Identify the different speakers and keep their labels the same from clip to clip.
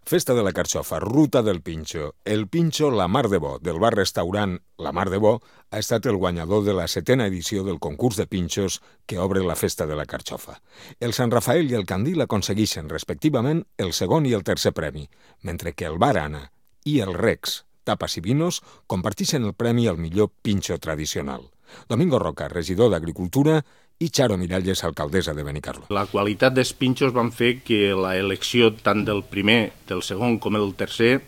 Speaker 1: Festa de la Carxofa, Ruta del Pinxo. El Pinxo La Mar de Bo, del bar-restaurant La Mar de Bo, ha estat el guanyador de la 7ª edició del concurs de pinxos que obre la Festa de la Carxofa. El Sant Rafael i el Candil aconsegueixen, respectivament, el segon i el tercer premi, mentre que el Bar Anna i el Rex, Tapas i Vinos, comparteixen el premi al millor pinxo tradicional. Domingo Roca, regidor d'Agricultura, i Charo Miralles, alcaldessa de Benicarló.
Speaker 2: La qualitat dels pinxos van fer que l'elecció tant del primer, del segon com el tercer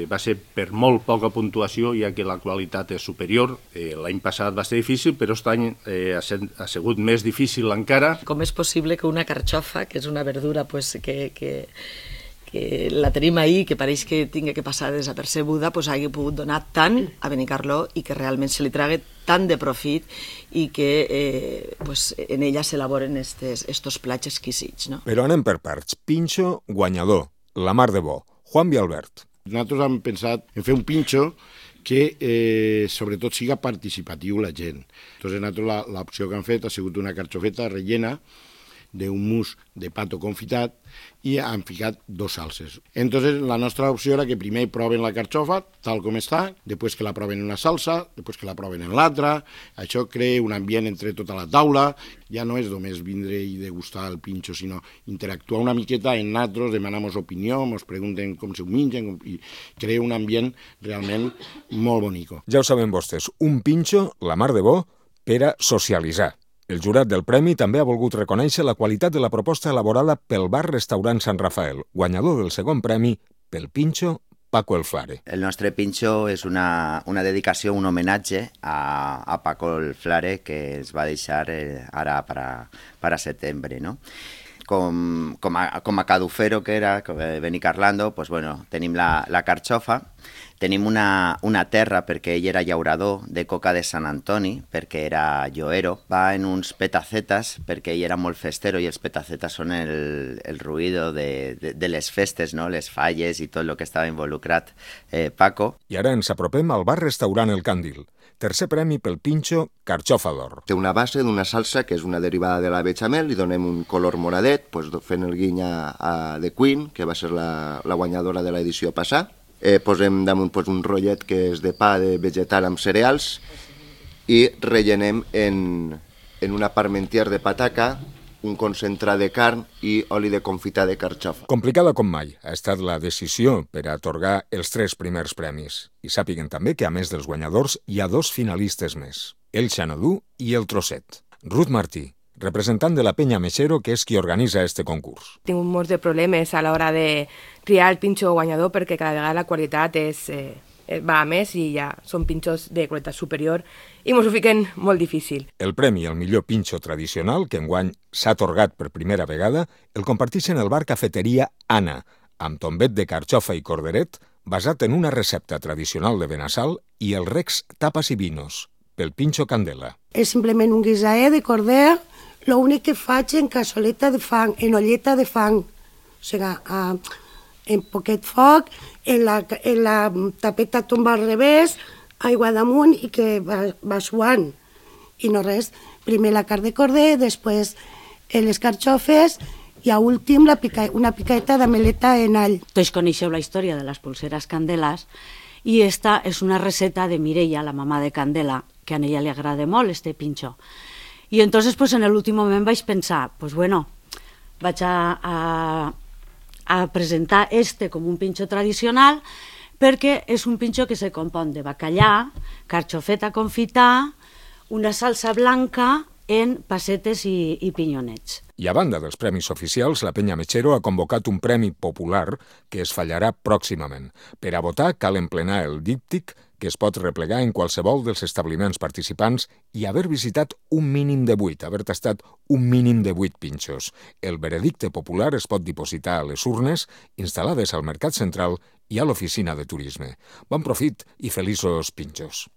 Speaker 2: va ser per molt poca puntuació, ja que la qualitat és superior. L'any passat va ser difícil, però aquest any ha sigut més difícil encara.
Speaker 3: Com és possible que una carxofa, que és una verdura que la tenim ahir, que pareix que tingui que passar desapercebuda, hagi pogut donar tant a Benicarló i que realment se li trague tant de profit i que en ella s'elaboren estos plats exquisits. No?
Speaker 1: Però anem per parts. Pinxo guanyador, La Mar de Bo. Juan Vialbert.
Speaker 4: Nosaltres hem pensat en fer un pinxo que sobretot siga participatiu la gent. Entonces nosaltres l'opció que hem fet ha sigut una carxofeta rellena d'un mousse de pato confitat i han ficat 2 salses. Entonces la nostra opció era que primer proven la carxofa tal com està, després que la proven en una salsa, després que la proven en l'altra. Això crea un ambient entre tota la taula. Ja no és només vindre i degustar el pinxo, sinó interactuar una miqueta en nosaltres, demanamos opinió, ens pregunten com s'ho mengen i crea un ambient realment molt bonico.
Speaker 1: Ja ho saben vostès, un pinxo, La Mar de Bo, per a socialitzar. El jurat del premi també ha volgut reconèixer la qualitat de la proposta elaborada pel bar-restaurant Sant Rafael, guanyador del segon premi pel pinxo Paco el Flare.
Speaker 5: El nostre pinxo és una dedicació, un homenatge a Paco el Flare, que es va deixar ara per a setembre, no? Com a cadufero que era, Benicarlando, pues bueno, tenim la carxofa, tenim una terra perquè ell era llaurador de coca de Sant Antoni, perquè era lloero, va en uns petacetas perquè ell era molt festero i els petacetas són el ruïdo de les festes, no? Les falles i tot el que estava involucrat Paco.
Speaker 1: I ara ens apropem al bar-restaurant El Candil. Tercer premi pel pinxo Carxofa d'Or.
Speaker 6: Té una base d'una salsa que és una derivada de la bechamel, li donem un color moradet, fent el guiny a The Queen, que va ser la guanyadora de l'edició passada. Posem damunt un rotllet que és de pa de vegetal amb cereals i rellenem en una parmentier de pataca, un concentrat de carn i oli de confitar de carxofa.
Speaker 1: Complicada com mai ha estat la decisió per a atorgar els 3 primers premis. I sàpiguen també que, a més dels guanyadors, hi ha 2 finalistes més, el Xanadú i el Trosset. Ruth Martí, representant de la Penya Mexero, que és qui organitza este concurs.
Speaker 7: Tinc molts de problemes a l'hora de triar el pinxo guanyador perquè cada vegada la qualitat va a més i ja són pinxos de qualitat superior i mos ho fiquen molt difícil.
Speaker 1: El premi al millor pinxo tradicional, que enguany s'ha atorgat per primera vegada, el comparteixen el bar Cafeteria Anna, amb tombet de carxofa i corderet, basat en una recepta tradicional de Benassal, i el Rex Tapas i Vinos, pel pinxo Candela.
Speaker 8: És simplement un guisaet de corder, l'únic que faig en cassoleta de fang, en olleta de fang, o sigui, en poquet foc, en la tapeta tomba al revés, aigua damunt i que va suant. I no res, primer la carn de corder, després les carxofes i a últim una picadeta d'ameleta en all.
Speaker 9: Tots coneixeu la història de les pulseres Candelas i esta és una receta de Mireia, la mamà de Candela, que a ella li agrada molt este pinxo. I entonces en l'últim moment vaig pensar, vaig a presentar com un pinxo tradicional perquè és un pinxo que se compon de bacallà, carxofeta confitar, una salsa blanca en passetes i pinyonets.
Speaker 1: I a banda dels premis oficials, la Penya Mexero ha convocat un premi popular que es fallarà pròximament. Per a votar cal emplenar el díptic que es pot replegar en qualsevol dels establiments participants i haver visitat un mínim de 8, haver tastat un mínim de 8 pinxos. El veredicte popular es pot dipositar a les urnes instal·lades al Mercat Central i a l'Oficina de Turisme. Bon profit i feliços pinxos.